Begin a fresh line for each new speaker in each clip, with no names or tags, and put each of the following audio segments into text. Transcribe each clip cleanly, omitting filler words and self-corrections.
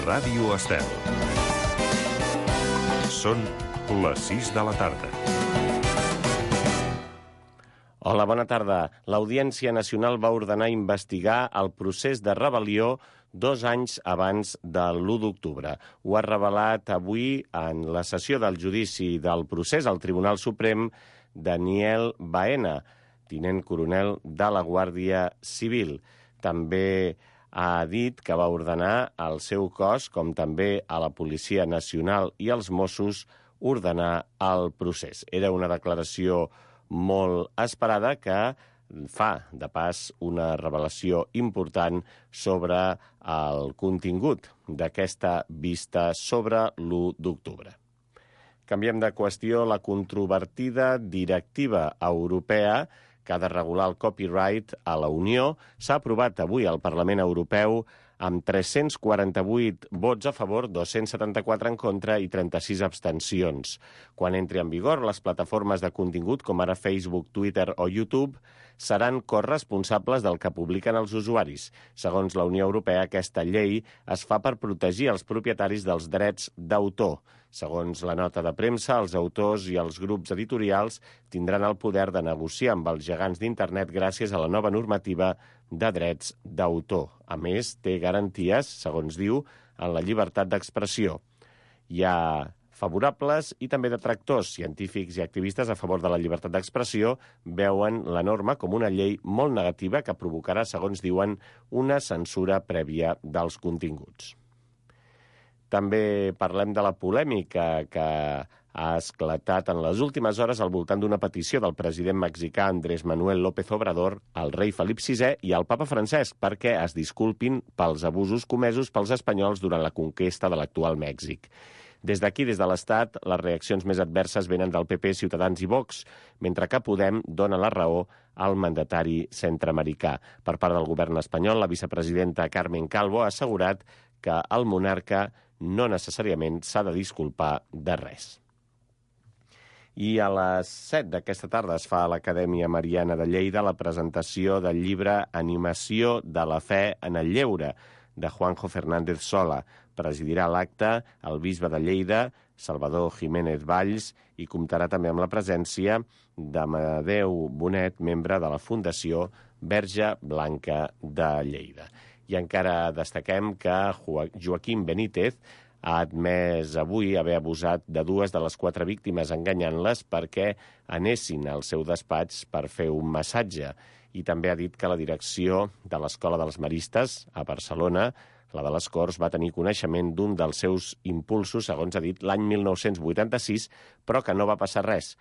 Ràdio Estel. Són les 6 de la tarda.
Hola, bona tarda. l'Audiència Nacional va ordenar investigar el procés de rebel·lió 2 anys abans de l'1 d'octubre. Ho ha revelat avui en la sessió del judici del procés al Tribunal Suprem Daniel Baena, tinent coronel de la Guàrdia Civil. També ha dit que va ordenar al seu cos, com també a la Policia Nacional i als Mossos, ordenar el procés. Era una declaració molt esperada que fa, de pas, una revelació important sobre el contingut d'aquesta vista sobre l'1 d'octubre. Canviem de qüestió. La controvertida directiva europea que ha de regular el copyright a la Unió s'ha aprovat avui al Parlament Europeu amb 348 vots a favor, 274 en contra i 36 abstencions. Quan entri en vigor, les plataformes de contingut, com ara Facebook, Twitter o YouTube, seran corresponsables del que publiquen els usuaris. Segons la Unió Europea, aquesta llei es fa per protegir els propietaris dels drets d'autor. Segons la nota de premsa, els autors i els grups editorials tindran el poder de negociar amb els gegants d'internet gràcies a la nova normativa de drets d'autor. A més, té garanties, segons diu, en la llibertat d'expressió. Hi ha favorables i també detractors. Científics i activistes a favor de la llibertat d'expressió veuen la norma com una llei molt negativa que provocarà, segons diuen, una censura prèvia dels continguts. També parlem de la polèmica que ha esclatat en les últimes hores al voltant d'una petició del president mexicà Andrés Manuel López Obrador al rei Felip VI i al papa Francesc perquè es disculpin pels abusos comesos pels espanyols durant la conquesta de l'actual Mèxic. Des d'aquí, des de l'Estat, les reaccions més adverses venen del PP, Ciutadans i Vox, mentre que Podem dona la raó al mandatari centreamericà. Per part del govern espanyol, la vicepresidenta Carmen Calvo ha assegurat que el monarca no necessàriament s'ha de disculpar de res. I a les 7 d'aquesta tarda es fa a l'Acadèmia Mariana de Lleida la presentació del llibre Animació de la fe en el lleure, de Juanjo Fernández Sola. Presidirà l'acte el bisbe de Lleida, Salvador Jiménez Valls, i comptarà també amb la presència d'Amadeu Bonet, membre de la Fundació Verge Blanca de Lleida. I encara destaquem que Joaquim Benítez ha admès avui haver abusat de 2 de les 4 víctimes enganyant-les perquè anessin al seu despatx per fer un massatge. I també ha dit que la direcció de l'Escola dels Maristes a Barcelona, la de les Corts, va tenir coneixement d'un dels seus impulsos, segons ha dit, l'any 1986, però que no va passar res.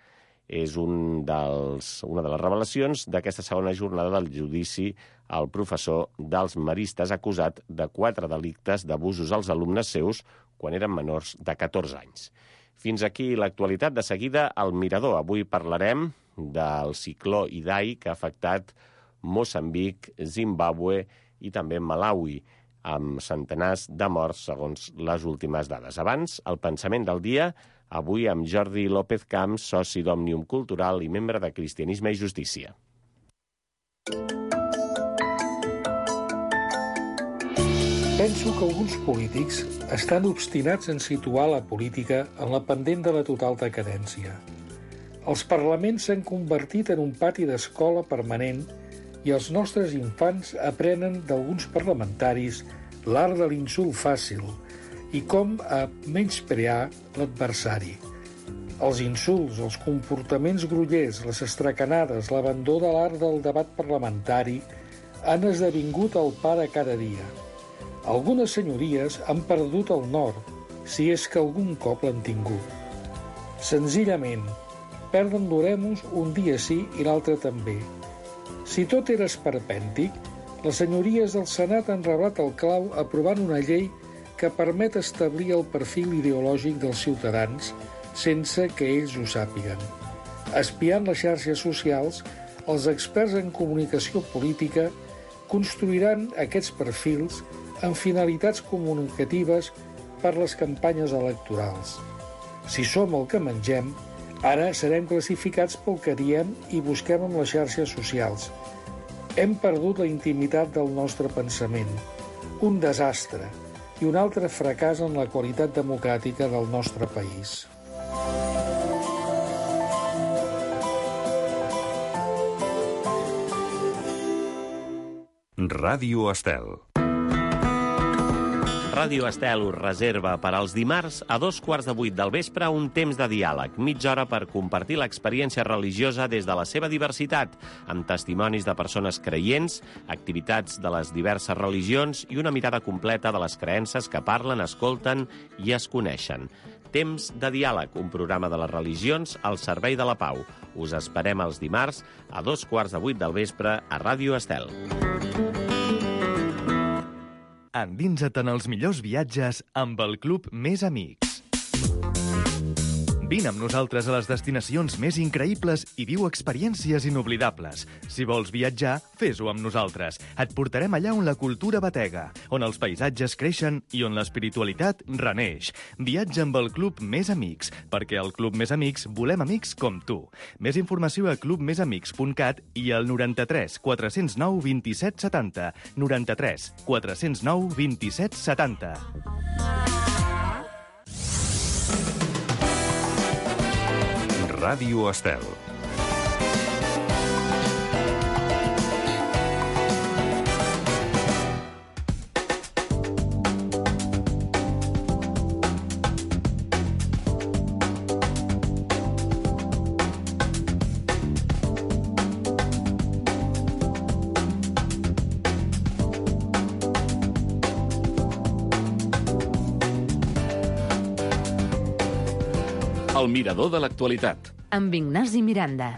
És una de les revelacions d'aquesta segona jornada del judici al professor dels Maristes acusat de 4 delictes d'abusos als alumnes seus quan eren menors de 14 anys. Fins aquí l'actualitat. De seguida, al Mirador. Avui parlarem del cicló Idai que ha afectat Moçambic, Zimbàbue i també Malawi, amb centenars de morts segons les últimes dades. Abans, el pensament del dia, avui amb Jordi López Camps, soci d'Òmnium Cultural i membre de Cristianisme i Justícia.
Penso que alguns polítics estan obstinats en situar la política en la pendent de la total decadència. Els parlaments s'han convertit en un pati d'escola permanent i els nostres infants aprenen d'alguns parlamentaris l'art de l'insult fàcil i com a menysprear l'adversari. Els insults, els comportaments grollers, les estracanades, l'abandó de l'art del debat parlamentari han esdevingut el pa de cada dia. Algunes senyories han perdut el nord, si és que algun cop l'han tingut. Senzillament, perden l'oremus un dia sí i l'altre també. Si tot era esperpèntic, les senyories del Senat han reblat el clau aprovant una llei que permet establir el perfil ideològic dels ciutadans sense que ells ho sàpiguen. Espiant les xarxes socials, els experts en comunicació política construiran aquests perfils amb finalitats comunicatives per les campanyes electorals. Si som el que mengem, ara serem classificats pel que diem i busquem en les xarxes socials. Hem perdut la intimitat del nostre pensament. Un desastre. i un altre fracàs en la qualitat democràtica del nostre país.
Ràdio Estel.
Ràdio Estel us reserva per als dimarts a 7:15 del vespre un temps de diàleg, mitja hora per compartir l'experiència religiosa des de la seva diversitat, amb testimonis de persones creients, activitats de les diverses religions i una mirada completa de les creences que parlen, escolten i es coneixen. Temps de diàleg, un programa de les religions al servei de la pau. Us esperem els dimarts a 7:15 del vespre a Ràdio Estel.
Endinsa't en els millors viatges amb el Club Més Amics. Vine amb nosaltres a les destinacions més increïbles i viu experiències inoblidables. Si vols viatjar, fes-ho amb nosaltres. Et portarem allà on la cultura batega, on els paisatges creixen i on l'espiritualitat reneix. Viatja amb el Club Més Amics, perquè al Club Més Amics volem amics com tu. Més informació a clubmesamics.cat i al 93 409 27 70. 93 409 27 70.
Ràdio Estel.
El mirador de l'actualitat.
Amb Ignasi Miranda.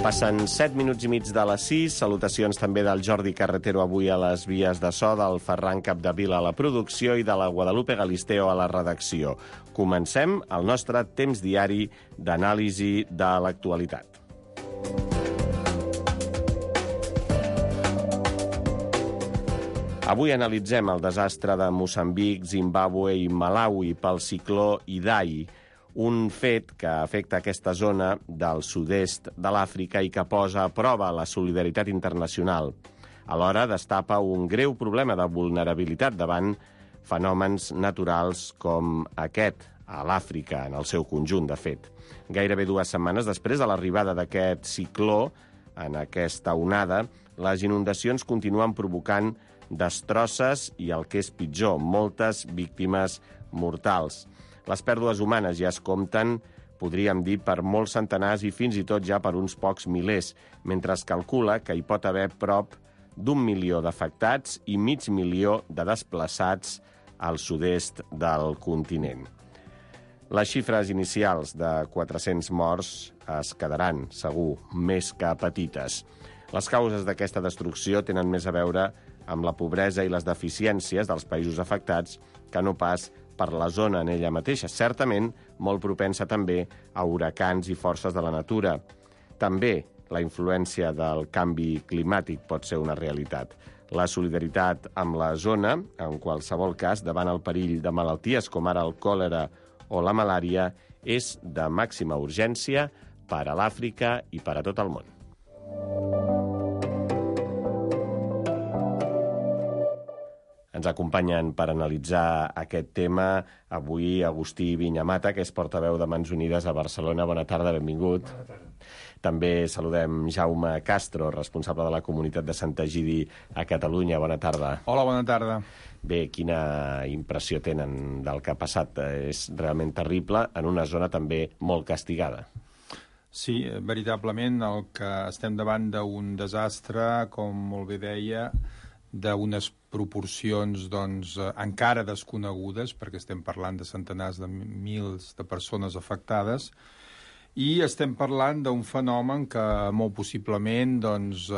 Passen 7 minuts i mig de les 6. Salutacions també del Jordi Carretero avui a les vies de so, del Ferran Capdevila a la producció i de la Guadalupe Galisteo a la redacció. Comencem el nostre temps diari d'anàlisi de l'actualitat. Avui analitzem el desastre de Moçambic, Zimbàbue i Malawi pel cicló Idai, un fet que afecta aquesta zona del sud-est de l'Àfrica i que posa a prova la solidaritat internacional. Alhora destapa un greu problema de vulnerabilitat davant fenòmens naturals com aquest, a l'Àfrica, en el seu conjunt, de fet. Gairebé 2 setmanes després de l'arribada d'aquest cicló, en aquesta onada, les inundacions continuen provocant destrosses i, el que és pitjor, moltes víctimes mortals. Les pèrdues humanes ja es compten, podríem dir, per molts centenars i fins i tot ja per uns pocs milers, mentre es calcula que hi pot haver prop d'1 milió d'afectats i mig milió de desplaçats al sud-est del continent. Les xifres inicials de 400 morts es quedaran, segur, més que petites. Les causes d'aquesta destrucció tenen més a veure amb la pobresa i les deficiències dels països afectats que no pas per la zona en ella mateixa, certament molt propensa també a huracans i forces de la natura. També la influència del canvi climàtic pot ser una realitat. La solidaritat amb la zona, en qualsevol cas, davant el perill de malalties com ara el còlera o la malària, és de màxima urgència per a l'Àfrica i per a tot el món. Ens acompanyen per analitzar aquest tema avui Agustí Viñamata, que és portaveu de Mans Unides a Barcelona. Bona tarda, benvingut. Bona tarda. També saludem Jaume Castro, responsable de la comunitat de Sant Egidi a Catalunya. Bona tarda.
Hola, bona tarda.
Bé, quina impressió tenen del que ha passat? És realment terrible en una zona també molt castigada.
Sí, veritablement el que estem davant d'un desastre, com molt bé deia, d'unes proporcions encara desconegudes, perquè estem parlant de centenars de mils de persones afectades, I estem parlant d'un fenomen que molt possiblement doncs,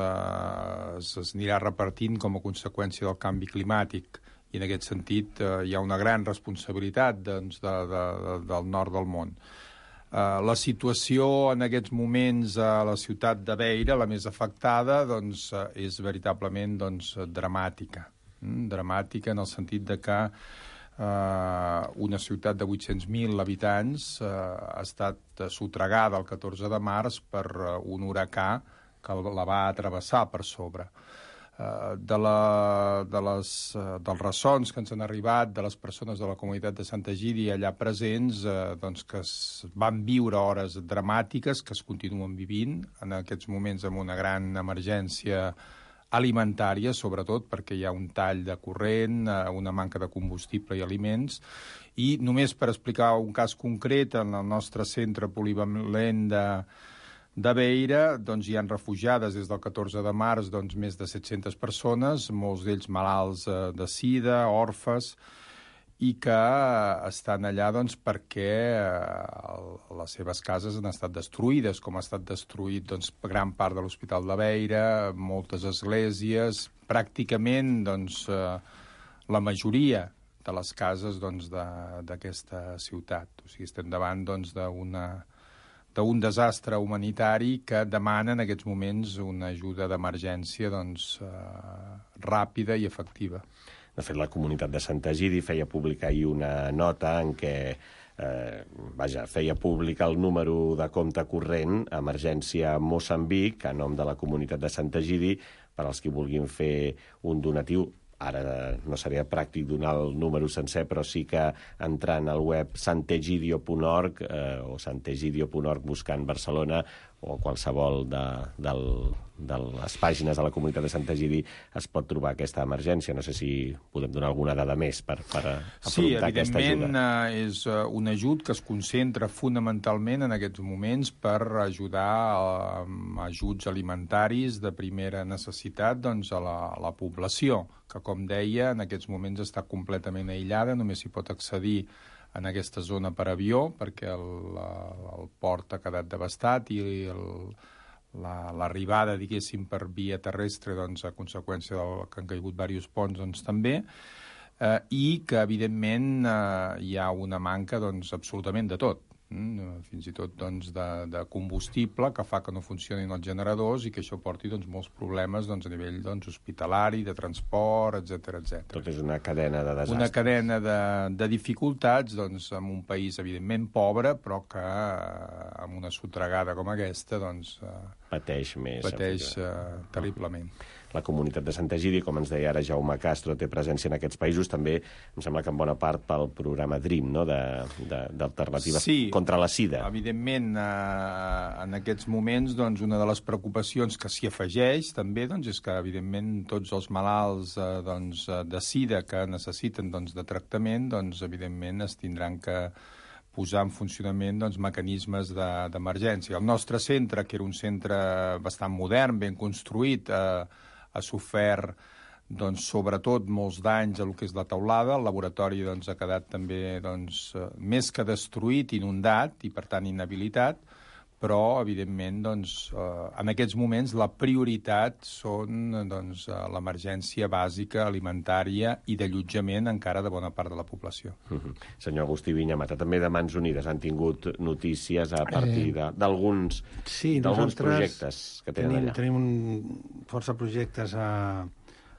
s'anirà repartint com a conseqüència del canvi climàtic. I en aquest sentit hi ha una gran responsabilitat doncs, del nord del món. La situació en aquests moments a la ciutat de Beira, la més afectada, doncs, és veritablement dramàtica. Dramàtica en el sentit de que una ciutat de 800.000 habitants ha estat sotragada el 14 de març per un huracà que la va travessar per sobre. Dels ressons que ens han arribat de les persones de la comunitat de Sant Egidi allà presents, doncs que van viure hores dramàtiques que es continuen vivint en aquests moments amb una gran emergència alimentària, sobretot perquè hi ha un tall de corrent, una manca de combustible i aliments. I només per explicar un cas concret, en el nostre centre polivalent de Beira doncs, hi ha refugiades des del 14 de març més de 700 persones, molts d'ells malalts de sida, orfes, i que estan allà doncs, perquè les seves cases han estat destruïdes, com ha estat destruït doncs, gran part de l'Hospital de Beira, moltes esglésies, pràcticament doncs, la majoria de les cases doncs, d'aquesta ciutat. O sigui, estem davant doncs, d'un desastre humanitari que demana en aquests moments una ajuda d'emergència doncs, ràpida i efectiva.
De fet, la comunitat de Sant Egidi feia pública ahir una nota en què feia públic el número de compte corrent Emergència Moçambic a nom de la comunitat de Sant Egidi per als qui vulguin fer un donatiu. Ara no seria pràctic donar el número sencer, però sí que entrant al web santegidio.org o santegidio.org buscant Barcelona o qualsevol de les pàgines de la comunitat de Sant Egidi es pot trobar aquesta emergència. No sé si podem donar alguna dada més per afrontar aquesta ajuda.
Sí, evidentment és un ajut que es concentra fonamentalment en aquests moments per ajudar amb ajuts alimentaris de primera necessitat doncs, a la població, que com deia en aquests moments està completament aïllada, només s'hi pot accedir en aquesta zona per avió, perquè el port ha quedat devastat i l'arribada, diguéssim, per via terrestre, doncs, a conseqüència que han caigut diversos ponts, doncs, també, i que, evidentment, hi ha una manca, doncs, absolutament de tot. Fins i tot doncs, de combustible que fa que no funcionin els generadors i que això porti doncs, molts problemes doncs, a nivell doncs, hospitalari, de transport, etc.
Tot és una cadena de desastres.
Una cadena de dificultats doncs, en un país evidentment pobre, però que amb una sotragada com aquesta doncs,
pateix més.
Pateix terriblement.
La comunitat de Sant Egidi, com ens deia ara Jaume Castro, té presència en aquests països, també em sembla que en bona part pel programa DREAM, no? d'alternatives contra la sida.
Evidentment, en aquests moments, doncs, una de les preocupacions que s'hi afegeix també doncs, és que, evidentment, tots els malalts doncs, de sida que necessiten doncs, de tractament, doncs, evidentment, es tindran que posar en funcionament doncs, mecanismes d'emergència. El nostre centre, que era un centre bastant modern, ben construït, ha sofert doncs, sobretot molts danys a lo que és la teulada. El laboratori doncs, ha quedat també doncs, més que destruït, inundat i per tant inhabilitat, però evidentment doncs, en aquests moments la prioritat són doncs, l'emergència bàsica alimentària i d'allotjament encara de bona part de la població.
Senyor Agustí Vinyamata, també de Mans Unides han tingut notícies a partir d'alguns projectes que tenen allà.
Tenim força projectes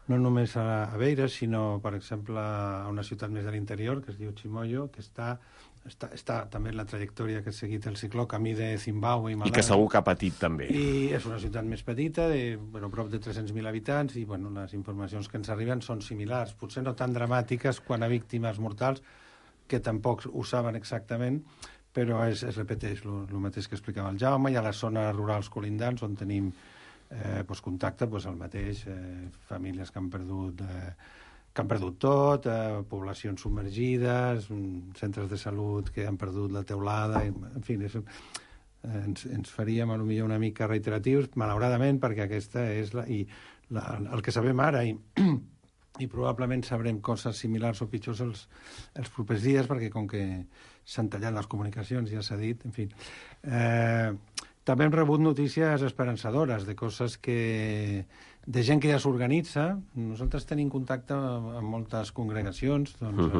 no només a Beira, sinó, per exemple, a una ciutat més de l'interior, que es diu Chimoio, que està també en la trajectòria que ha seguit el cicló camí de Zimbàbue i Malawi.
I que segur que ha patit també.
I és una ciutat més petita, prop de 300.000 habitants, i les informacions que ens arriben són similars, potser no tan dramàtiques quan a víctimes mortals, que tampoc ho saben exactament, però es repeteix el mateix que explicava el Jaume. Hi ha les zones rurals colindants on tenim contacte, el mateix, famílies que han perdut tot, poblacions submergides, centres de salut que han perdut la teulada, en fi, ens faríem potser una mica reiteratius, malauradament, perquè aquesta és el que sabem ara, i probablement sabrem coses similars o pitjors els propers dies, perquè com que s'han tallat les comunicacions, ja s'ha dit, en fi. També hem rebut notícies esperançadores de coses de gent que ja s'organitza. Nosaltres tenim contacte amb moltes congregacions, doncs,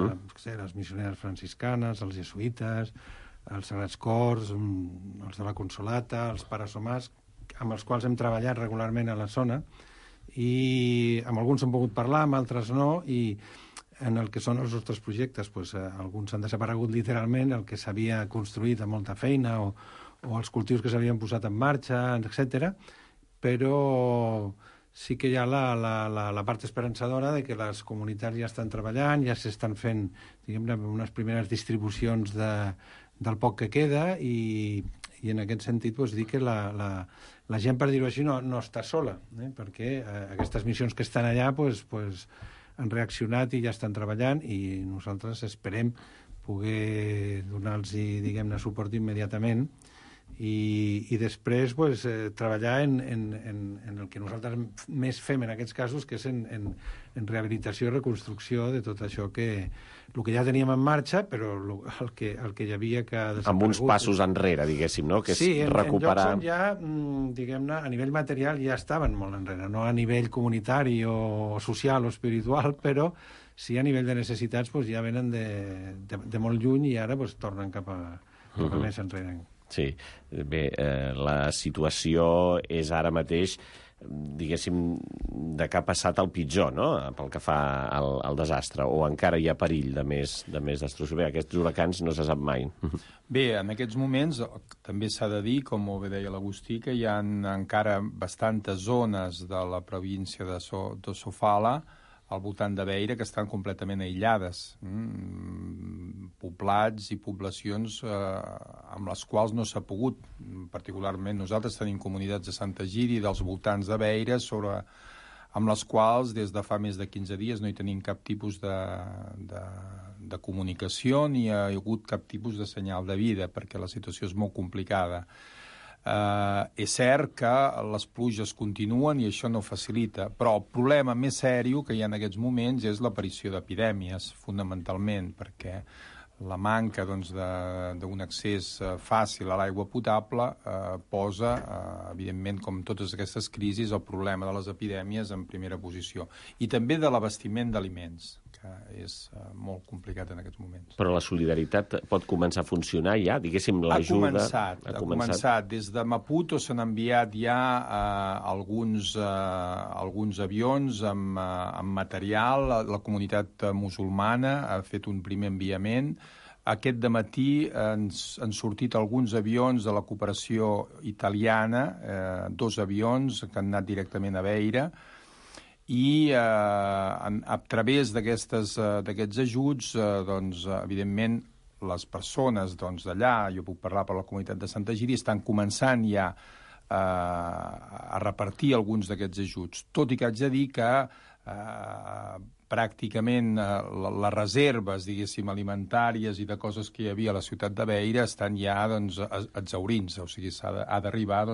les missioneres franciscanes, els jesuïtes, els Sagrats Cors, els de la Consolata, els Pares Somàs, amb els quals hem treballat regularment a la zona, i amb alguns hem pogut parlar, amb altres no, i en el que són els nostres projectes, doncs, alguns han desaparegut literalment, el que s'havia construït amb molta feina o els cultius que s'havien posat en marxa, etc. Però sí que hi ha la part esperançadora de que les comunitats ja estan treballant, ja s'estan fent, diguem-ne, unes primeres distribucions del poc que queda, i en aquest sentit doncs, dir que la gent, per dir-ho així, no està sola, perquè aquestes missions que estan allà doncs, han reaccionat i ja estan treballant, i nosaltres esperem poder donar-los, diguem-ne, suport immediatament, i després pues, treballar en el que nosaltres més fem en aquests casos, que és en rehabilitació i reconstrucció de tot això el que ja teníem en marxa, però el que hi havia que ha desaparegut.
Amb uns passos enrere, diguéssim, no? Que és recuperar...
en llocs on ja, diguem-ne, a nivell material ja estaven molt enrere, no a nivell comunitari o social o espiritual, però sí a nivell de necessitats pues, ja venen de molt lluny, i ara pues, tornen cap a més enrere.
Sí, bé, la situació és ara mateix, diguéssim, de que ha passat el pitjor, no?, pel que fa al desastre, o encara hi ha perill de més destrucció. Bé, aquests huracans no se sap mai.
Bé, en aquests moments també s'ha de dir, com molt bé deia l'Agustí, que hi ha encara bastantes zones de la província de Sofala al voltant de Beira que estan completament aïllades, poblats i poblacions amb les quals no s'ha pogut. Particularment nosaltres tenim comunitats de Santa Egídia i dels voltants de Beira amb les quals des de fa més de 15 dies no hi tenim cap tipus de comunicació ni hi ha hagut cap tipus de senyal de vida, perquè la situació és molt complicada. És cert que les pluges continuen i això no facilita, però el problema més sèrio que hi ha en aquests moments és l'aparició d'epidèmies, fonamentalment, perquè la manca d'un accés fàcil a l'aigua potable posa, evidentment, com totes aquestes crisis, el problema de les epidèmies en primera posició. I també de l'abastiment d'aliments, que és molt complicat en aquests moments.
Però la solidaritat pot començar a funcionar ja? Diguéssim, l'ajuda...
Ha començat. Des de Maputo s'han enviat ja alguns avions amb material. La comunitat musulmana ha fet un primer enviament. Aquest dematí han sortit alguns avions de la cooperació italiana, 2 avions que han anat directament a Beira, i a través d'aquests ajuts, evidentment, les persones d'allà, jo puc parlar per la comunitat de Santa Egídia, estan començant ja a repartir alguns d'aquests ajuts. Tot i que haig de dir que pràcticament les reserves, diguéssim, alimentàries i de coses que hi havia a la ciutat de Beira estan ja exhaurint-se, o sigui, ha d'arribar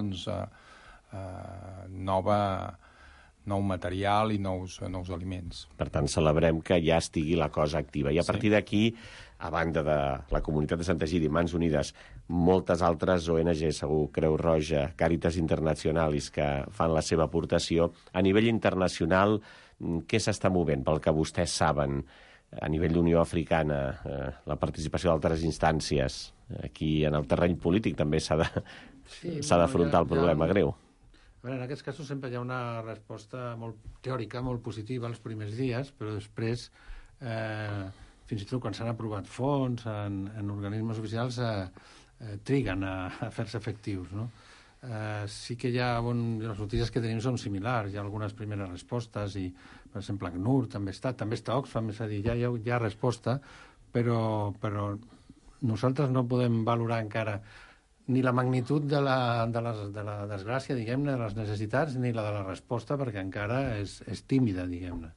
nou material i nous aliments.
Per tant, celebrem que ja estigui la cosa activa. I a partir d'aquí, a banda de la comunitat de Santa Egídia i Mans Unides, moltes altres ONG, segur, Creu Roja, Càritas Internacionalis, que fan la seva aportació. A nivell internacional, què s'està movent, pel que vostès saben, a nivell d'Unió Africana, la participació d'altres instàncies? Aquí, en el terreny polític, també s'ha d'afrontar el problema greu.
A veure, en aquests casos sempre hi ha una resposta molt teòrica, molt positiva els primers dies, però després, fins i tot quan s'han aprovat fons en organismes oficials, triguen a fer-se efectius, no? Sí que les notícies que tenim són similars, hi ha algunes primeres respostes i, per exemple, ACNUR també està Oxfam, és a dir, ja hi ha resposta, però nosaltres no podem valorar encara ni la magnitud de la desgràcia, diguem-ne, de les necessitats, ni la de la resposta, perquè encara és tímida, diguem-ne.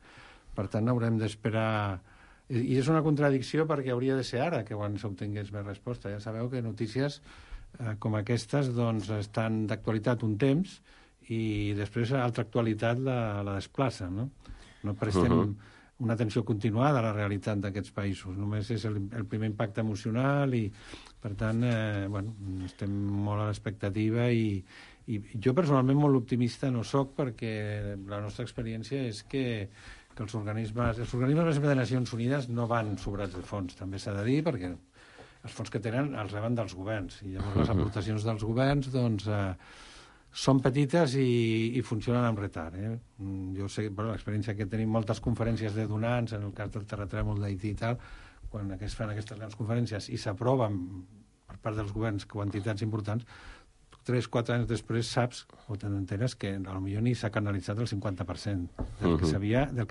Per tant, haurem d'esperar... I és una contradicció perquè hauria de ser ara que quan s'obtingués més resposta. Ja sabeu que notícies com aquestes estan d'actualitat un temps i després altra actualitat la desplaça, no? No prestem una atenció continuada a la realitat d'aquests països. Només és el primer impacte emocional i, per tant, estem molt a l'expectativa i jo personalment molt optimista no soc, perquè la nostra experiència és que els organismes, per exemple, de Nacions Unides no van sobrats de fons, també s'ha de dir, perquè els fons que tenen els reben dels governs, i llavors les aportacions dels governs doncs, són petites i funcionen amb retard. Jo sé, l'experiència que tenim moltes conferències de donants, en el cas del terratrèmol d'Haití i tal, quan es fan aquestes grans conferències i s'aproven per part dels governs quantitats importants, 3-4 anys després saps o t'enteres que potser ni s'ha canalitzat el 50% del que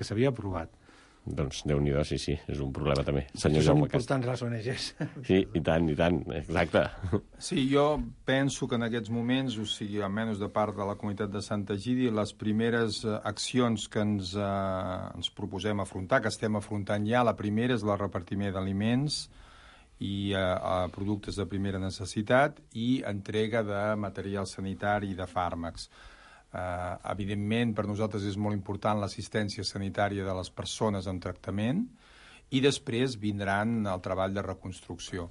s'havia aprovat.
Doncs Déu-n'hi-do, sí, és un problema també.
Són importants les ONGs.
Sí, i tant, exacte.
Sí, jo penso que en aquests moments, o sigui, almenys de part de la comunitat de Santa Egídia, les primeres accions que ens proposem afrontar, que estem afrontant ja, la primera és el repartiment d'aliments i productes de primera necessitat i entrega de material sanitari i de fàrmacs. Evidentment, per nosaltres és molt important l'assistència sanitària de les persones en tractament i després vindran el treball de reconstrucció.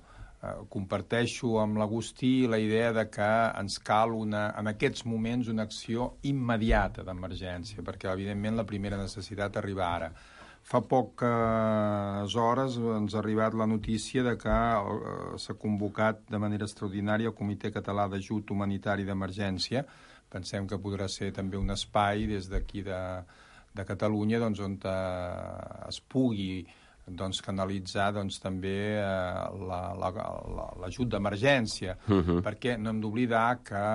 Comparteixo amb l'Agustí la idea de que ens cal en aquests moments una acció immediata d'emergència, perquè evidentment la primera necessitat arriba ara. Fa poques hores ens ha arribat la notícia de que s'ha convocat de manera extraordinària el Comitè Català d'Ajut Humanitari d'Emergència. Pensem que podrà ser també un espai des d'aquí de Catalunya doncs, on es pugui canalitzar també l'ajut d'emergència, perquè no hem d'oblidar que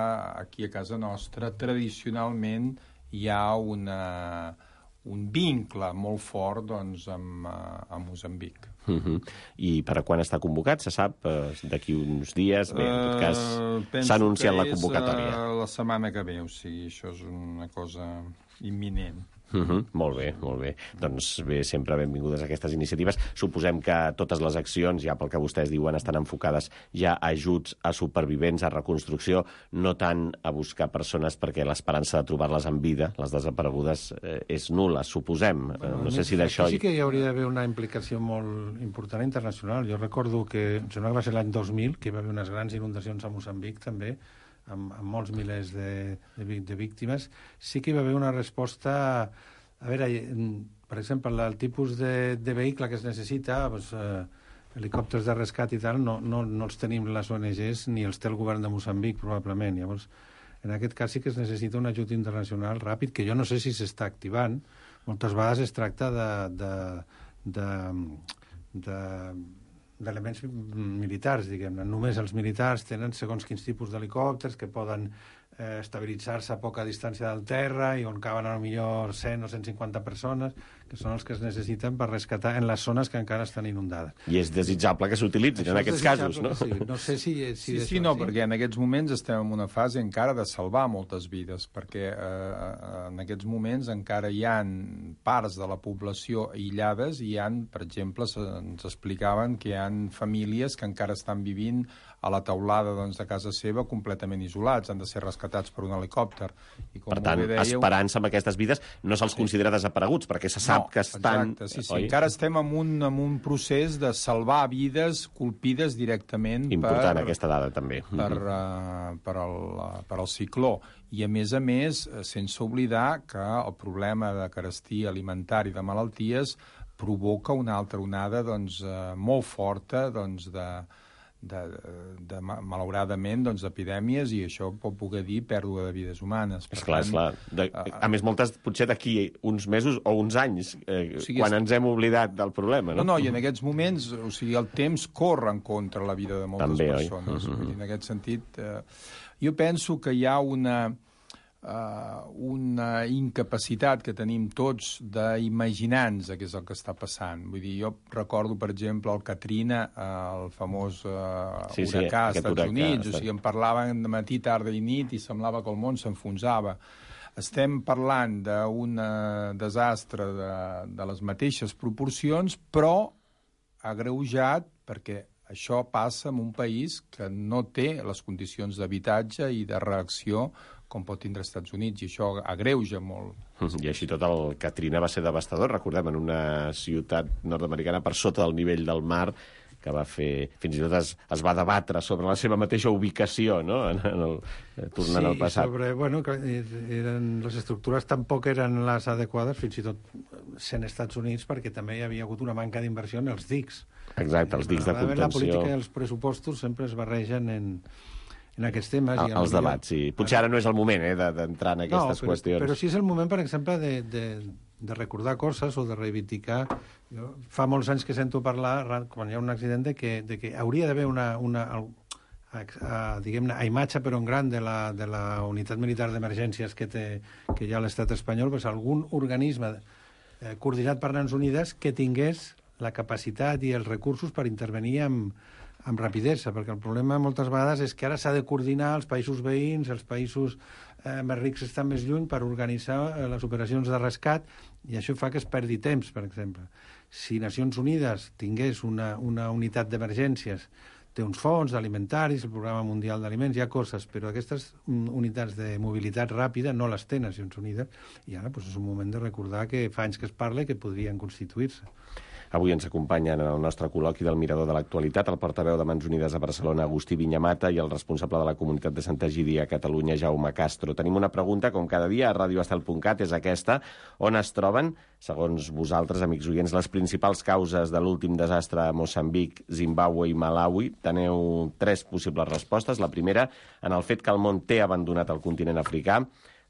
aquí a casa nostra tradicionalment hi ha un vincle molt fort amb Moçambic.
I per a quan està convocat? Se sap? D'aquí uns dies? Bé, en tot cas, s'ha anunciat la convocatòria.
La setmana que ve, o sigui, això és una cosa imminent.
Molt bé. Doncs bé, sempre benvingudes aquestes iniciatives. Suposem que totes les accions, ja pel que vostès diuen, estan enfocades ja a ajuts a supervivents, a reconstrucció, no tant a buscar persones perquè l'esperança de trobar-les en vida, les desaparegudes, és nul·la, suposem. No sé si d'això...
Sí que hi hauria d'haver una implicació molt important internacional. Jo recordo que, em sembla que va ser l'any 2000, que hi va haver unes grans inundacions a Moçambic, també, amb molts milers de víctimes. Sí que hi va haver una resposta... A veure, per exemple, el tipus de vehicle que es necessita, helicòpters de rescat i tal, no els tenim les ONGs ni els té el govern de Moçambic, probablement. Llavors, en aquest cas sí que es necessita un ajut internacional ràpid, que jo no sé si s'està activant. Moltes vegades es tracta d'elements militars, diguem-ne. Només els militars tenen segons quins tipus d'helicòpters que poden estabilitzar-se a poca distància del terra i on caben potser 100 o 150 persones, que són els que es necessiten per rescatar en les zones que encara estan inundades.
I és desitjable que s'utilitzin en aquests casos, no?
Sí. No sé si
perquè en aquests moments estem en una fase encara de salvar moltes vides, perquè en aquests moments encara hi ha parts de la població aïllades i hi ha, per exemple, ens explicaven que hi ha famílies que encara estan vivint a la teulada de casa seva completament isolats, han de ser rescatats per un helicòpter. I com
per tant, esperança amb aquestes vides no se'ls considera desapareguts, perquè se sap que estan...
Exacte, sí. Encara estem en un procés de salvar vides colpides directament
important aquesta dada, també.
Per al cicló. I, a més, sense oblidar que el problema de carestia alimentària i de malalties provoca una altra onada molt forta malauradament d'epidèmies, i això pot poder dir pèrdua de vides humanes.
Esclar. A més, moltes potser d'aquí uns mesos o uns anys, quan ens hem oblidat del problema, no?
No, i en aquests moments, o sigui, el temps corre en contra la vida de moltes persones. En aquest sentit, jo penso que hi ha una incapacitat que tenim tots d'imaginar-nos què és el que està passant. Vull dir, jo recordo, per exemple, el Katrina, el famós huracà als Estats Units, o sigui, en parlaven de matí, tarda i nit i semblava que el món s'enfonsava. Estem parlant d'un desastre de les mateixes proporcions, però agreujat perquè això passa en un país que no té les condicions d'habitatge i de reacció com pot tindre els Estats Units, i això agreuja molt.
I així tot el Katrina va ser devastador, recordem, en una ciutat nord-americana per sota del nivell del mar, que va fer... Fins i tot es va debatre sobre la seva mateixa ubicació, no?, tornant al passat.
Sí, sobre... Bueno, les estructures tampoc eren les adequades, fins i tot sent Estats Units, perquè també hi havia hagut una manca d'inversió en els dics.
Exacte, els dics de contenció.
La política i els pressupostos sempre es barregen en aquests temes.
Els debats, sí. Potser ara no és el moment d'entrar en aquestes qüestions.
Però sí és el moment, per exemple, de recordar coses o de reivindicar. Jo, fa molts anys que sento parlar, quan hi ha un accident, de que hauria d'haver diguem-ne, a imatge però en gran de la unitat militar d'emergències que hi ha a l'estat espanyol, pues, algun organisme coordinat per Nacions Unides que tingués la capacitat i els recursos per intervenir amb rapidesa, perquè el problema moltes vegades és que ara s'ha de coordinar els països veïns, els països més rics estan més lluny per organitzar les operacions de rescat, i això fa que es perdi temps, per exemple. Si Nacions Unides tingués una unitat d'emergències, té uns fons alimentaris, el Programa Mundial d'Aliments, hi ha coses, però aquestes unitats de mobilitat ràpida no les té Nacions Unides, i ara és un moment de recordar que fa anys que es parla i que podrien constituir-se.
Avui ens acompanyen en el nostre col·loqui del Mirador de l'Actualitat el portaveu de Mans Unides a Barcelona, Agustí Viñamata, i el responsable de la comunitat de Sant Egidi a Catalunya, Jaume Castro. Tenim una pregunta, com cada dia, a radioestel.cat, és aquesta. On es troben, segons vosaltres, amics oients, les principals causes de l'últim desastre a Moçambic, Zimbàbue i Malawi? Teniu 3 possibles respostes. La primera, en el fet que el món té abandonat el continent africà.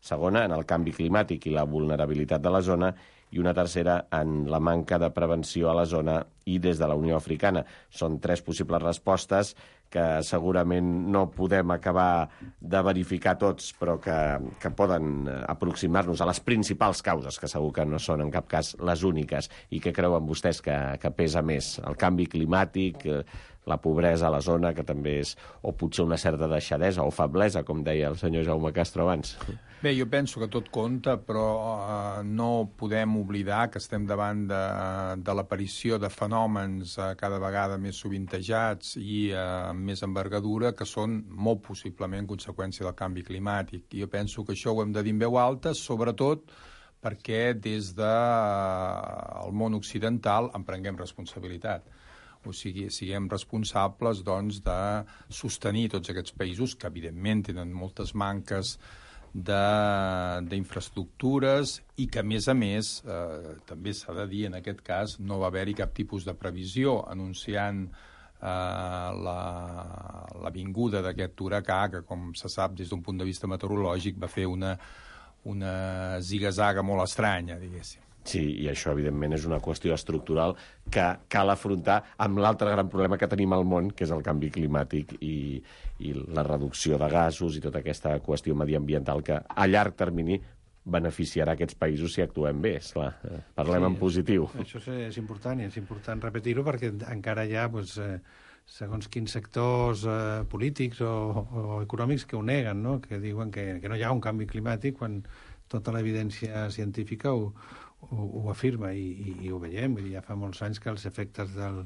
Segona, en el canvi climàtic i la vulnerabilitat de la zona. I una tercera, en la manca de prevenció a la zona i des de la Unió Africana. Són 3 possibles respostes que segurament no podem acabar de verificar tots, però que poden aproximar-nos a les principals causes, que segur que no són en cap cas les úniques, i que creuen vostès que pesa més. El canvi climàtic, la pobresa a la zona, que també és, o potser una certa deixadesa o feblesa, com deia el senyor Jaume Castro abans.
Bé, jo penso que tot compta, però no podem oblidar que estem davant de l'aparició de fenòmens cada vegada més sovintejats i amb més envergadura, que són molt possiblement conseqüència del canvi climàtic. I jo penso que això ho hem de dir en veu alta, sobretot perquè des del món occidental en prenguem responsabilitat. O sigui, siguem responsables, doncs, de sostenir tots aquests països que, evidentment, tenen moltes manques d'infraestructures i que, a més, també s'ha de dir, en aquest cas, no va haver-hi cap tipus de previsió anunciant la vinguda d'aquest huracà, que, com se sap, des d'un punt de vista meteorològic, va fer una ziga-zaga molt estranya, diguéssim.
Sí, i això, evidentment, és una qüestió estructural que cal afrontar amb l'altre gran problema que tenim al món, que és el canvi climàtic i la reducció de gasos i tota aquesta qüestió mediambiental que a llarg termini beneficiarà aquests països si actuem bé, esclar. Parlem en positiu.
Això és important, i és important repetir-ho perquè encara hi ha, segons quins sectors polítics o econòmics que ho neguen, no? Que diuen que no hi ha un canvi climàtic quan tota l'evidència científica ho afirma, i ho veiem. Ja fa molts anys que els efectes del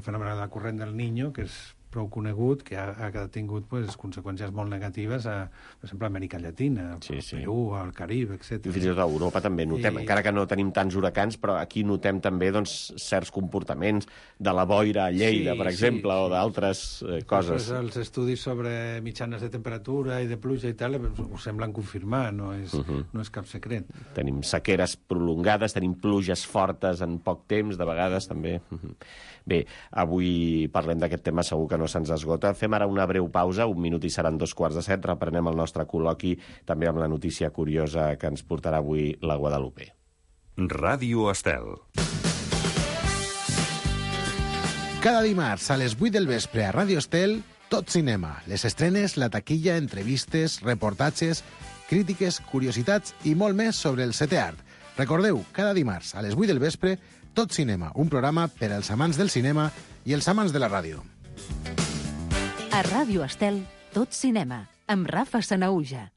fenomen de la corrent del Niño, que és prou conegut, que ha tingut conseqüències molt negatives per exemple, a Amèrica Llatina, al Perú, al Carib, etc.
I fins i tot a Europa també notem, encara que no tenim tants huracans, però aquí notem també certs comportaments de la boira a Lleida, per exemple, o d'altres coses.
Els estudis sobre mitjanes de temperatura i de pluja i tal ho semblen confirmar, no és cap secret.
Tenim sequeres prolongades, tenim pluges fortes en poc temps, de vegades també. Bé, avui parlem d'aquest tema, segur que no se'ns esgota. Fem ara una breu pausa, 1 minut i seran 2:15. Reprenem el nostre col·loqui també amb la notícia curiosa que ens portarà avui la Guadalupe.
Ràdio Estel.
Cada dimarts a les 8 del vespre a Ràdio Estel, tot cinema. Les estrenes, la taquilla, entrevistes, reportatges, crítiques, curiositats i molt més sobre el setè art. Recordeu, cada dimarts a les 8 del vespre, Tot Cinema, un programa per als amants del cinema i els amants de la ràdio.
A Ràdio Estel, Tot Cinema, amb Rafa Sanauja.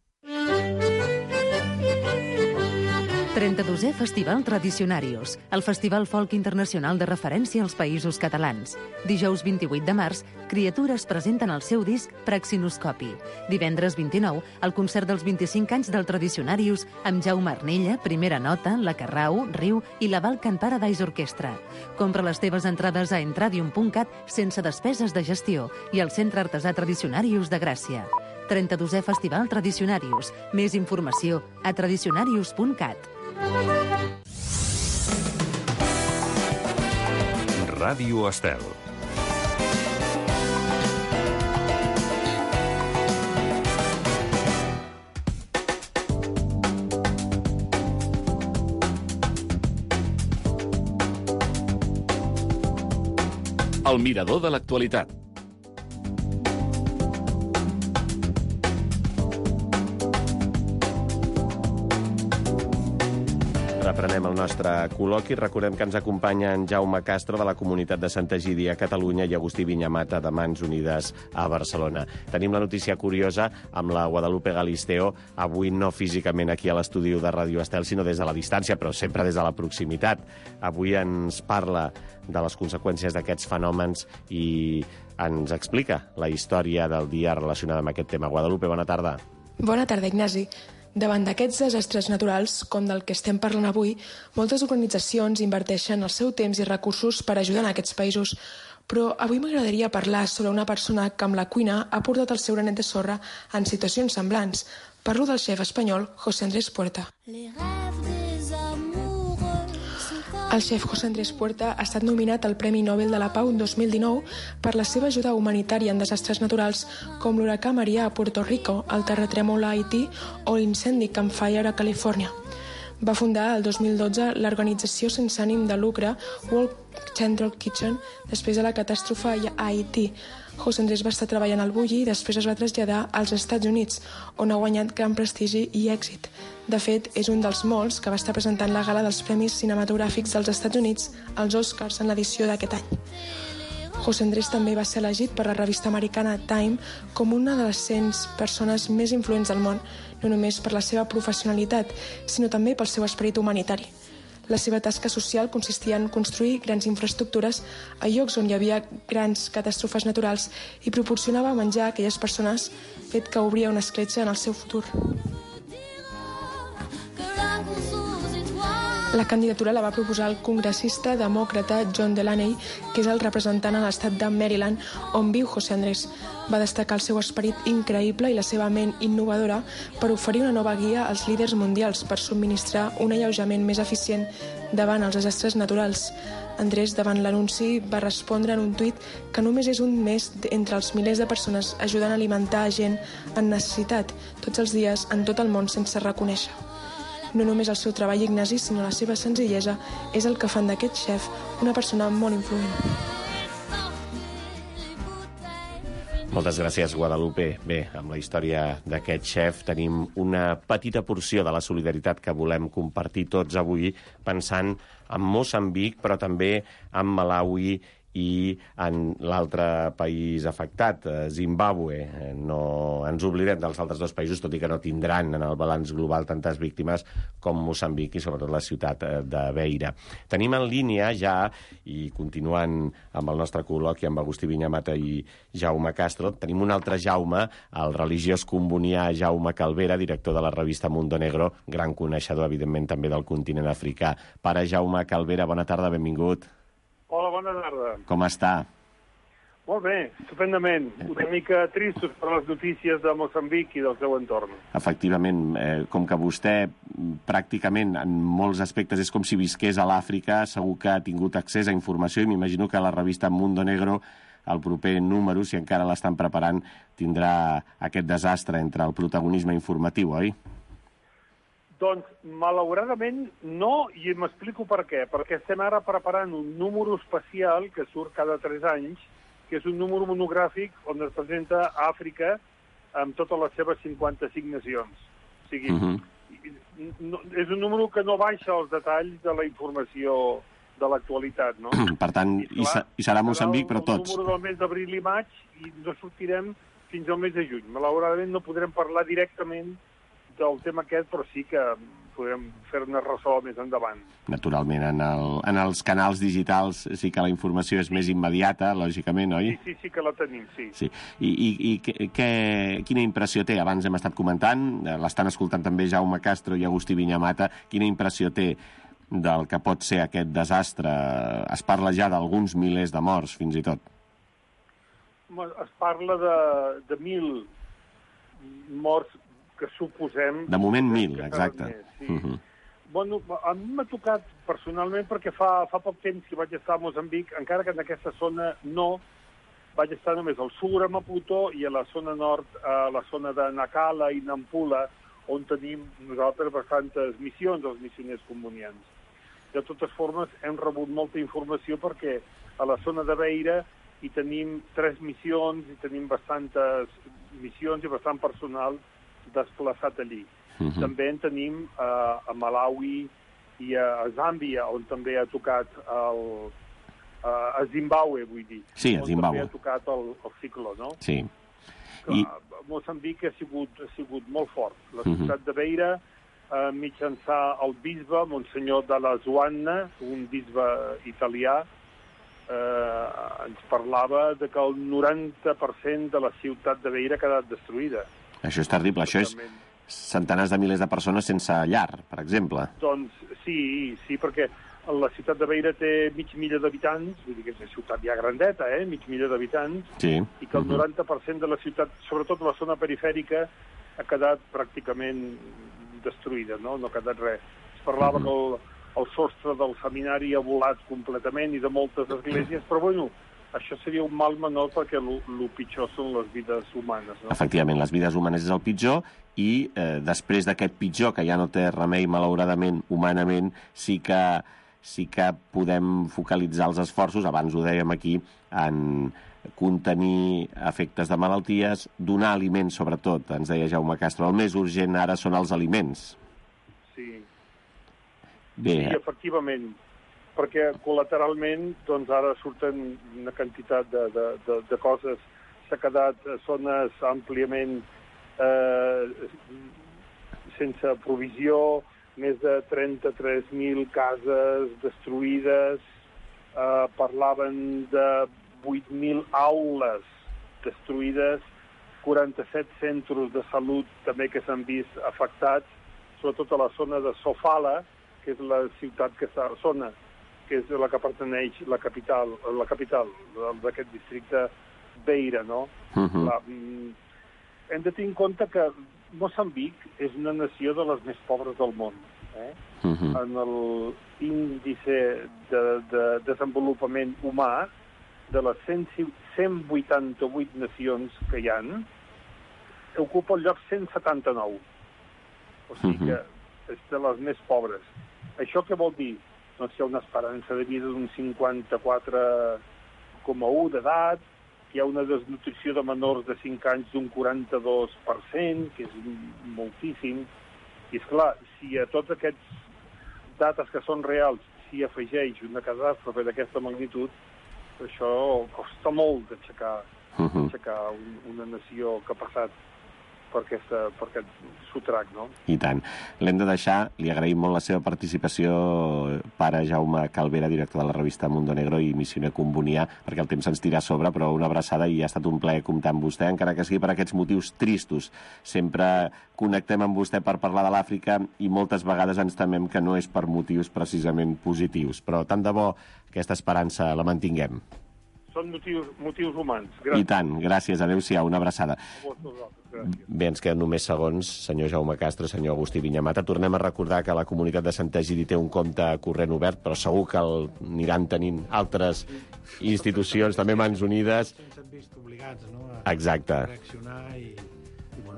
32è Festival Tradicionarius, el festival folk internacional de referència als països catalans. Dijous 28 de març, Criatures presenten el seu disc Praxinoscopi. Divendres 29, el concert dels 25 anys del Tradicionarius amb Jaume Arnella, Primera Nota, La Carrau, Riu i la Balkan Paradise Orquestra. Compra les teves entrades a entradium.cat sense despeses de gestió i al Centre Artesà Tradicionarius de Gràcia. 32è Festival Tradicionarius. Més informació a tradicionarius.cat.
Ràdio Estel.
El mirador de l'actualitat.
Reprenem el nostre col·loqui. Recordem que ens acompanya en Jaume Castro de la Comunitat de Santa Egídia a Catalunya i Agustí Viñamata de Mans Unides a Barcelona. Tenim la notícia curiosa amb la Guadalupe Galisteo, avui no físicament aquí a l'estudi de Ràdio Estel, sinó des de la distància, però sempre des de la proximitat. Avui ens parla de les conseqüències d'aquests fenòmens i ens explica la història del dia relacionada amb aquest tema. Guadalupe, bona tarda.
Bona tarda, Ignasi. Davant d'aquests desastres naturals, com del que estem parlant avui, moltes organitzacions inverteixen el seu temps i recursos per ajudar en aquests països. Però avui m'agradaria parlar sobre una persona que amb la cuina ha portat el seu granet de sorra en situacions semblants. Parlo del xef espanyol José Andrés Puerta. El xef José Andrés Puerta ha estat nominat al Premi Nobel de la Pau 2019 per la seva ajuda humanitària en desastres naturals com l'huracà Maria a Puerto Rico, el terratrèmol a Haití o l'incendi Campfire a Califòrnia. Va fundar el 2012 l'organització sense ànim de lucre World Central Kitchen després de la catàstrofe a Haití. José Andrés va estar treballant al Bulli i després es va traslladar als Estats Units, on ha guanyat gran prestigi i èxit. De fet, és un dels molts que va estar presentant la gala dels Premis Cinematogràfics dels Estats Units, els Oscars, en l'edició d'aquest any. José Andrés també va ser elegit per la revista americana Time com una de les 100 persones més influents del món, no només per la seva professionalitat, sinó també pel seu esperit humanitari. La seva tasca social consistia en construir grans infraestructures a llocs on hi havia grans catàstrofes naturals i proporcionava menjar a aquelles persones, fet que obria una escletxa en el seu futur. La candidatura la va proposar el congressista demòcrata John Delaney, que és el representant a l'estat de Maryland, on viu José Andrés. Va destacar el seu esperit increïble i la seva ment innovadora per oferir una nova guia als líders mundials per subministrar un alleujament més eficient davant els desastres naturals. Andrés, davant l'anunci, va respondre en un tuit que només és un més entre els milers de persones ajudant a alimentar a gent en necessitat tots els dies en tot el món sense reconèixer. No només el seu treball, Ignasi, sinó la seva senzillesa és el que fan d'aquest xef una persona molt influent.
Moltes gràcies, Guadalupe. Bé, amb la història d'aquest xef tenim una petita porció de la solidaritat que volem compartir tots avui, pensant en Moçambic, però també en Malawi i en l'altre país afectat, Zimbàbue. No ens oblidem dels altres dos països, tot i que no tindran en el balanç global tantes víctimes com Moçambic i sobretot la ciutat de Beira. Tenim en línia ja, i continuant amb el nostre col·loqui amb Agustí Viñamata i Jaume Castro, tenim un altre Jaume, el religiós combonià Jaume Calvera, director de la revista Mundo Negro, gran coneixedor, evidentment, també del continent africà. Pare Jaume Calvera, bona tarda, benvingut.
Hola, bona tarda.
Com està?
Molt bé, estupendament. Una mica tristos per les notícies de Moçambic i del seu entorn.
Efectivament, com que vostè pràcticament en molts aspectes és com si visqués a l'Àfrica, segur que ha tingut accés a informació i m'imagino que la revista Mundo Negro, el proper número, si encara l'estan preparant, tindrà aquest desastre entre el protagonisme informatiu, oi?
Doncs, malauradament, no, i m'explico per què. Perquè estem ara preparant un número especial que surt cada 3 anys, que és un número monogràfic on es presenta Àfrica amb totes les seves 55 nacions. O sigui, és un número que no baixa els detalls de la informació de l'actualitat, no?
Per tant, i serà Moçambic, però tots.
El número del mes d'abril i maig i no sortirem fins al mes de juny. Malauradament no podrem parlar directament del tema aquest, però sí que podem fer-ne ressò més endavant.
Naturalment, en els canals digitals sí que la informació és més immediata, lògicament, oi?
Sí que la tenim, sí.
I quina impressió té? Abans hem estat comentant, l'estan escoltant també Jaume Castro i Agustí Viñamata, quina impressió té del que pot ser aquest desastre? Es parla ja d'alguns milers de morts, fins i tot.
Es parla de 1.000 morts que suposem...
De moment 1.000, exacte.
Bueno, a mi m'ha tocat personalment perquè fa poc temps que vaig estar a Moçambic, encara que en aquesta zona no, vaig estar només al sud, a Maputo, i a la zona nord, a la zona de Nacala i Nampula, on tenim nosaltres bastantes missions, els missioners comunians. De totes formes, hem rebut molta informació perquè a la zona de Beira hi tenim 3 missions, i tenim bastantes missions i bastant personal desplaçat allí. També en tenim a Malawi i a Zàmbia, on també ha tocat a Zimbabue, vull dir.
Sí, a Zimbabue.
On també ha tocat el cicló, no?
Sí.
Moçambic ha sigut molt fort. La ciutat de Beira, mitjançant el bisbe, Monsenyor de la Zuanna, un bisbe italià, ens parlava de que el 90% de la ciutat de Beira ha quedat destruïda.
Això és terrible, això és centenars de milers de persones sense llar, per exemple.
Doncs sí, perquè la ciutat de Beira té 500.000 d'habitants, vull dir que és una ciutat ja grandeta, 500.000 d'habitants, i que el 90% de la ciutat, sobretot la zona perifèrica, ha quedat pràcticament destruïda, no ha quedat res. Es parlava que el sostre del seminari ha volat completament i de moltes esglésies, però bueno, això seria un mal menor perquè el pitjor són les vides humanes. No?
Efectivament, les vides humanes és el pitjor i després d'aquest pitjor, que ja no té remei malauradament humanament, sí que podem focalitzar els esforços, abans ho dèiem aquí, en contenir efectes de malalties, donar aliments sobretot, ens deia Jaume Castro. El més urgent ara són els aliments.
Sí, efectivament, perquè col·lateralment doncs ara surten una quantitat de coses. S'ha quedat zones àmpliament sense provisió, més de 33.000 cases destruïdes, parlaven de 8.000 aules destruïdes, 47 centres de salut també que s'han vist afectats, sobretot a la zona de Sofala, que és la ciutat que és la que pertaneix la capital d'aquest districte Beira, no? Hem de tenir en compte que Moçambic és una nació de les més pobres del món. En l'índice de desenvolupament humà de les 188 nacions que hi ha, ocupa el lloc 179. O sigui que és de les més pobres. Això què vol dir? Doncs hi ha una esperança de vida d'un 54,1 d'edat, hi ha una desnutrició de menors de 5 anys d'un 42%, que és moltíssim. I, esclar, si a tots aquests dates que són reals s'hi afegeix una catàstrofe d'aquesta magnitud, això costa molt d'aixecar una nació que ha passat per aquest sotrac, no?
I tant. L'hem de deixar, li agraïm molt la seva participació, pare Jaume Calvera, director de la revista Mundo Negro i missioner combonià, perquè el temps ens tira a sobre, però una abraçada i ha estat un plaer comptar amb vostè, encara que sigui per aquests motius tristos. Sempre connectem amb vostè per parlar de l'Àfrica i moltes vegades ens temem que no és per motius precisament positius, però tant de bo aquesta esperança la mantinguem.
Són motius humans. Gràcies.
I tant, gràcies. Adéu-siau, una abraçada. Bé, ens queden només segons, senyor Jaume Castro, senyor Agustí Viñamata. Tornem a recordar que la comunitat de Sant Egidi té un compte corrent obert, però segur que aniran tenint altres institucions, també Mans Unides.
S'han vist obligats, no?
Exacte.
A reaccionar i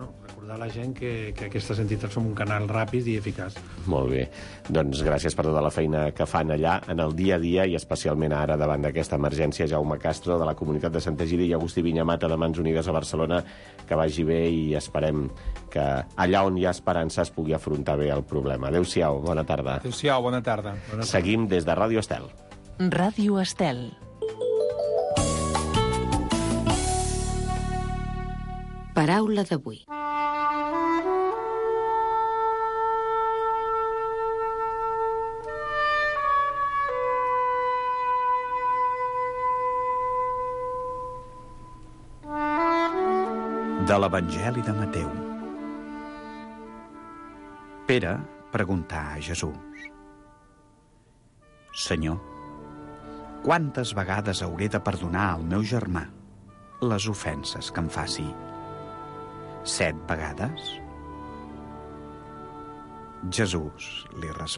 recordar a la gent que aquestes entitats són un canal ràpid i eficaç.
Molt bé. Doncs gràcies per tota la feina que fan allà en el dia a dia i especialment ara davant d'aquesta emergència. Jaume Castro, de la comunitat de Sant Egidi, i Agustí Viñamata, de Mans Unides a Barcelona. Que vagi bé i esperem que allà on hi ha esperança es pugui afrontar bé el problema. Adéu-siau, bona tarda.
Adéu-siau, bona tarda.
Seguim des de Ràdio Estel.
Ràdio Estel. Paraula d'avui.
De l'Evangeli de Mateu. Pere preguntà a Jesús: Senyor, quantes vegades hauré de perdonar al meu germà les ofenses que em faci? 7 vegades? Jesús li respon: